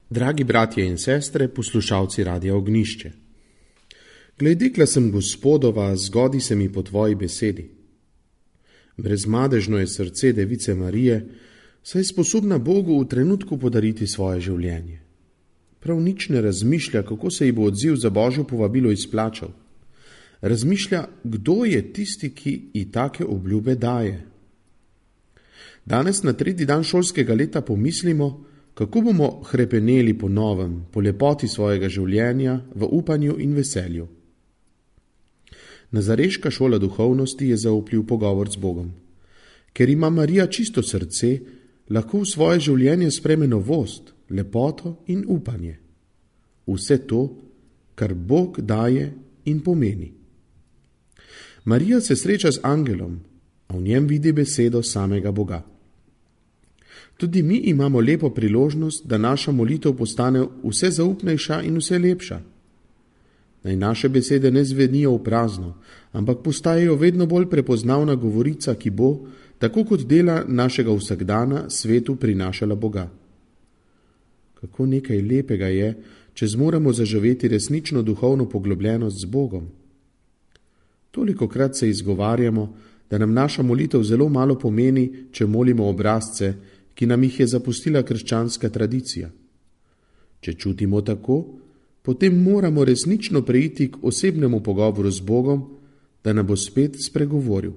Dragi bratje in sestre, poslušalci Radia Ognjišče. Glej, dekla sem Gospodova, zgodi se mi po tvoji besedi. Brezmadežno je srce device Marije, saj je sposobna Bogu v trenutku podariti svoje življenje. Prav nič ne razmišlja, kako se ji bo odziv za Božjo povabilo izplačal. Razmišlja, kdo je tisti, ki ji take obljube daje. Danes na 3. dan šolskega leta pomislimo, kako bomo hrepeneli po novem, po lepoti svojega življenja, v upanju in veselju. Nazareška šola duhovnosti je zaupljiv pogovor z Bogom. Ker ima Marija čisto srce, lahko v svoje življenje spreme novost, lepoto in upanje. Vse to, kar Bog daje in pomeni. Marija se sreča z angelom, a v njem vidi besedo samega Boga. Tudi mi imamo lepo priložnost, da naša molitev postane vse zaupnejša in vse lepša. Naj naše besede ne zvenijo v prazno, ampak postajajo vedno bolj prepoznavna govorica, ki bo, tako kot dela našega vsakdana, svetu prinašala Boga. Kako nekaj lepega je, če zmoremo zaživeti resnično duhovno poglobljenost z Bogom. Tolikokrat se izgovarjamo, da nam naša molitev zelo malo pomeni, če molimo obrazce, ki nam jih je zapustila krščanska tradicija. Če čutimo tako, potem moramo resnično preiti k osebnemu pogovoru z Bogom, da nam bo spet spregovoril.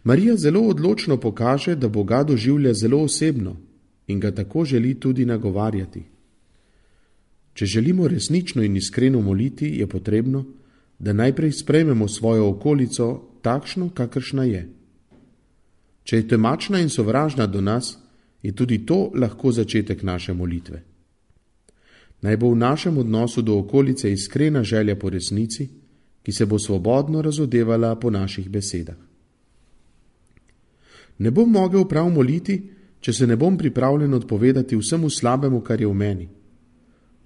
Marija zelo odločno pokaže, da Boga doživlja zelo osebno in ga tako želi tudi nagovarjati. Če želimo resnično in iskreno moliti, je potrebno, da najprej sprejmemo svojo okolico takšno, kakršna je. Če je temačna in sovražna do nas, je tudi to lahko začetek naše molitve. Naj bo v našem odnosu do okolice iskrena želja po resnici, ki se bo svobodno razodevala po naših besedah. Ne bom mogel prav moliti, če se ne bom pripravljen odpovedati vsemu slabemu, kar je v meni.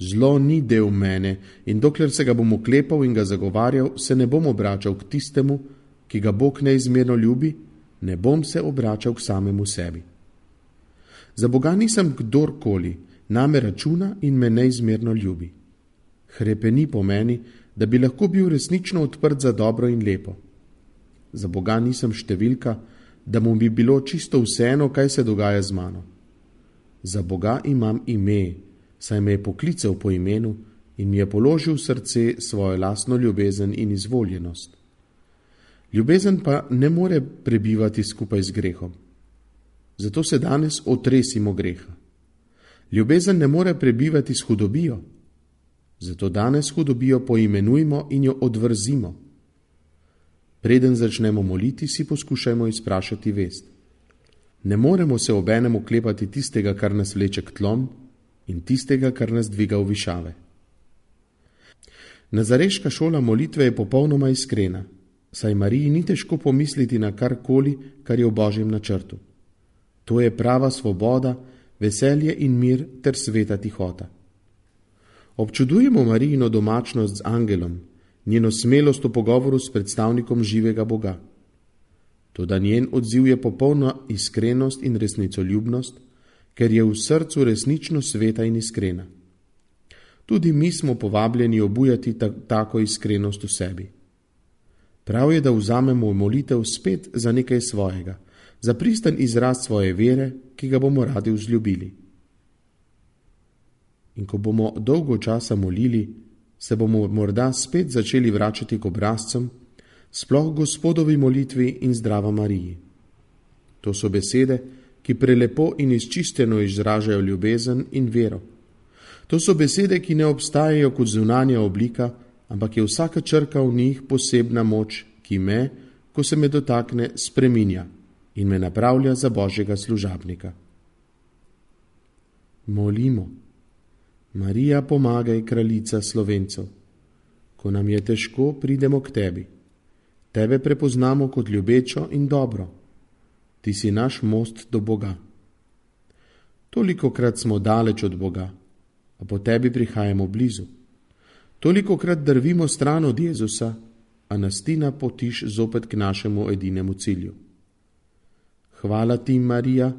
Zlo ni del mene in dokler se ga bom oklepal in ga zagovarjal, se ne bom obračal k tistemu, ki ga Bog neizmerno ljubi, ne bom se obračal k samemu sebi. Za Boga nisem kdorkoli, name računa in me neizmerno ljubi. Hrepeni po meni, da bi lahko bil resnično odprt za dobro in lepo. Za Boga nisem številka, da mu bi bilo čisto vseeno, kaj se dogaja z mano. Za Boga imam ime, saj me je poklical po imenu in mi je položil v srce svojo lastno ljubezen in izvoljenost. Ljubezen pa ne more prebivati skupaj z grehom. Zato se danes otresimo greha. Ljubezen ne more prebivati s hudobijo. Zato danes hudobijo poimenujmo in jo odvrzimo. Preden začnemo moliti, si poskušajmo izprašati vest. Ne moremo se obenem oklepati tistega, kar nas vleče k tlom, in tistega, kar nas dviga v višave. Nazareška šola molitve je popolnoma iskrena, saj Mariji ni težko pomisliti na karkoli, kar je v Božjem načrtu. To je prava svoboda, veselje in mir ter sveta tihota. Občudujemo Marijino domačnost z angelom, njeno smelost v pogovoru s predstavnikom živega Boga. Toda njen odziv je popolna iskrenost in resnicoljubnost, ker je v srcu resnično sveta in iskrena. Tudi mi smo povabljeni obujati tako iskrenost v sebi. Prav je, da vzamemo molitev spet za nekaj svojega, za pristen izraz svoje vere, ki ga bomo radi vzljubili. In ko bomo dolgo časa molili, se bomo morda spet začeli vračati k obrazcem, sploh Gospodovi molitvi in zdrava Mariji. To so besede, ki prelepo in izčisteno izražajo ljubezen in vero. To so besede, ki ne obstajajo kot zunanja oblika, ampak je vsaka črka v njih posebna moč, ki me, ko se me dotakne, spreminja in me napravlja za Božjega služabnika. Molimo. Marija, pomagaj, kraljica Slovencev. Ko nam je težko, pridemo k tebi. Tebe prepoznamo kot ljubečo in dobro. Ti si naš most do Boga. Tolikokrat smo daleč od Boga, a po tebi prihajamo blizu. Tolikokrat drvimo stran od Jezusa, a nas ti napotiš zopet k našemu edinemu cilju. Hvala ti, Marija,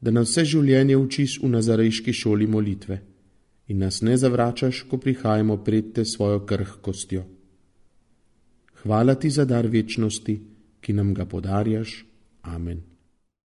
da nas vse življenje učiš v nazarejški šoli molitve. in nas ne zavračaš, ko prihajamo pred te svojo krhkostjo. Hvala ti za dar večnosti, ki nam ga podarjaš. Amen.